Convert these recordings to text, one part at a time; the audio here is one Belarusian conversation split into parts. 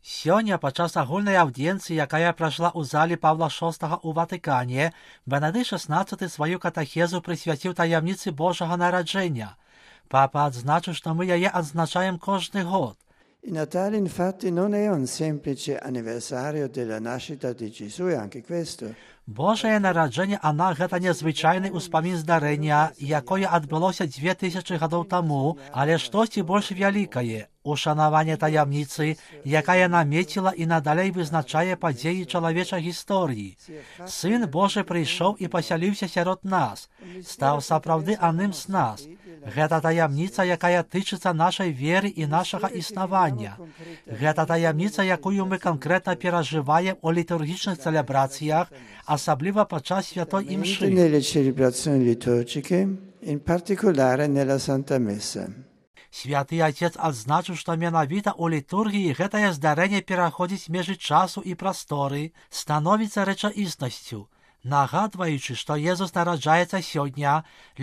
Сёння падчас агульнай аўдзіенцыі, якая прайшла ў зале Павла VI ў Ватыкане, Бенедыкт XVI сваю катэхезу прысвяціў таямніцы Божага нараджэння. Папа адзначыў, што мы яе адзначаем кожны год. Il Natale infatti non è un semplice anniversario della nascita di Gesù, è anche questo. Божае нараджэнне ана гэта незвычайны ўспамін здарэння, якое адбылося 2000 гадоў таму, але штосьці больш вялікае, ушанаванне таямніцы, якая намеціла і надалей вызначае падзеі чалавечай гісторыі. Сын Божы прыйшоў і пасяліўся сярод нас, стаў сапраўды адным з нас. Гэта таямніца, якая тычыцца нашай веры і нашага існавання. Гэта таямніца, якую мы канкрэтна перажываем у літургічных цэлебрацыях, асабліва падчас святой імшы. Nelle celebrazioni liturgiche, in particolare nella Santa Messa. Святы Отец адзначыў, што менавіта ў літургіі гэтае здарэнне пераходзіць межы часу і прасторы, становіцца рэчаіснасцю. Нагадваючы, што Езус нараджаецца сёння,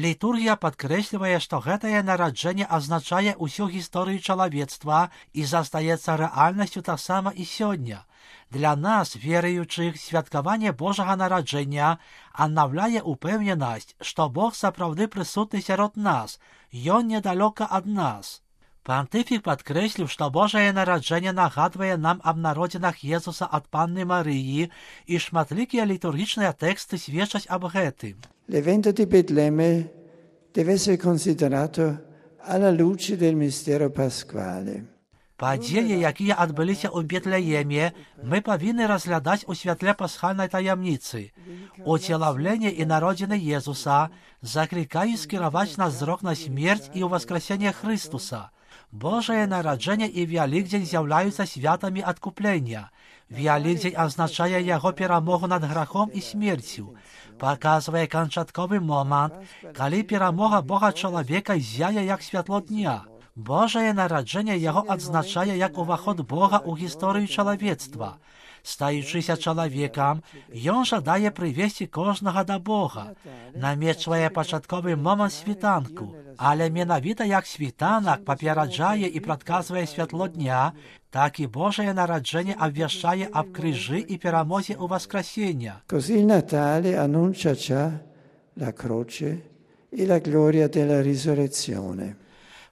літургія падкрэслівае, што гэтае нараджэнне азначае ўсю гісторыю чалавецтва і застаецца рэальнасцю таксама і сёння. Для нас, веруючых, святкаванне Божага нараджэння аднаўляе упэўненасць, што Бог сапраўды прысутны сярод нас, Ён недалёка ад нас. Пантыфік падкрэсліў, што Божае нараджэнне нагадвае нам аб народзінах Езуса ад Панны Марыі, і шматлікія літургічныя тэксты сведчаць аб гэтым. L'evento di Betlemme deve essere considerato alla luce del mistero pasquale. Падзеі, якія адбыліся ў Бетлееме, мы павінны разглядаць у святле пасхальнай таямніцы. Уцелаўленне і народзіны Езуса заклікаюць скіраваць наш зрок на смерць і ўваскрасенне Хрыстуса. Божае нараджэнне і Вялікдзень з'яўляюцца святамі адкуплення. Вялікдзень азначае яго перамогу над грахом і смерцю. Паказвае канчатковы момант, калі перамога Бога чалавека зяе як святло дня. Божае нараджэнне яго адзначае як уваход Бога ў гісторыю чалавецтва. Стаючыся чалавекам, ён жадае прывесці кожнага да Бога. Намечвае пачатковы момант світанку, але менавіта як світанак папераджае і прадказвае святло дня, так і Божае нараджэнне абвяшчае аб крыжы і перамозе ў васкрасення. Così il Natale annuncia già la croce e la gloria della risurrezione.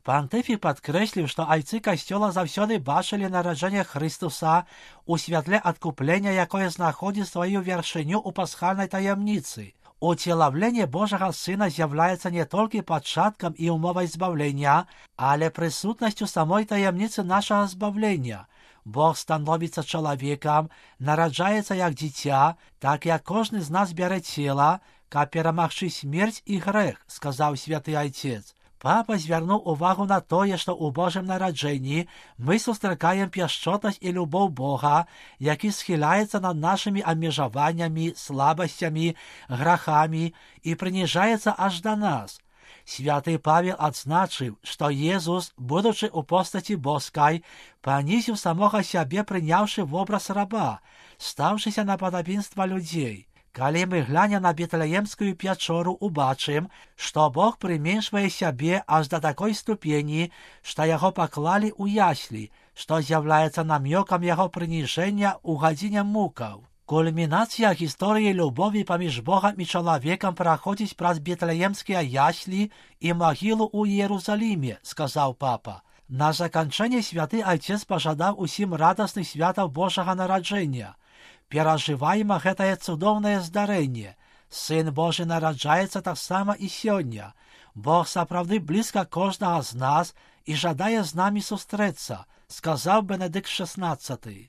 Пантыфік падкрэсліў, што айцы касцёла заўсёды бачылі нараджэнне Хрыстуса ў святле адкуплення, якое знаходзіць сваю вяршыню ў пасхальнай таямніцы. Уцелаўленне Божага Сына з'яўляецца не толькі пачаткам і умовай збаўлення, але прысутнасцю самой таямніцы нашага збаўлення. Бог становіцца чалавекам, нараджаецца як дзіця, так як кожны з нас бярэ цела, каб перамагчы смерць і грэх, сказаў святы Айцец. Папа звярнуў увагу на тое, што ў Божым нараджэнні мы сустракаем пяшчотнасць і любоў Бога, які схіляецца над нашымі абмежаваннямі, слабасцямі, грахамі і прыніжаецца аж да нас. Святы Павел адзначыў, што Езус, будучы ў постаці боскай, панізіў самога сябе, прыняўшы вобраз раба, стаўшыся на падабенства людзей. Калі мы глянем на Бетлеемскую пячору, убачым, што Бог прыменшвае сябе аж да такой ступені, што яго паклалі ў яслі, што з'яўляецца намёкам яго прыніжэння ў гадзіне мукаў. Кульмінацыя гісторыі любові паміж Богам і чалавекам праходзіць праз бетлеемскія яслі і магілу ў Іерусаліме, сказаў папа. На заканчэнне святы Айцец пажадаў усім радасных святаў Божага нараджэння. Перажываема гэтае цудоўнае здарэнне. Сын Божы нараджаецца таксама і сёння. Бог сапраўды блізка кожнага з нас і жадае з намі сустрэцца, сказаў Бенедыкт XVI.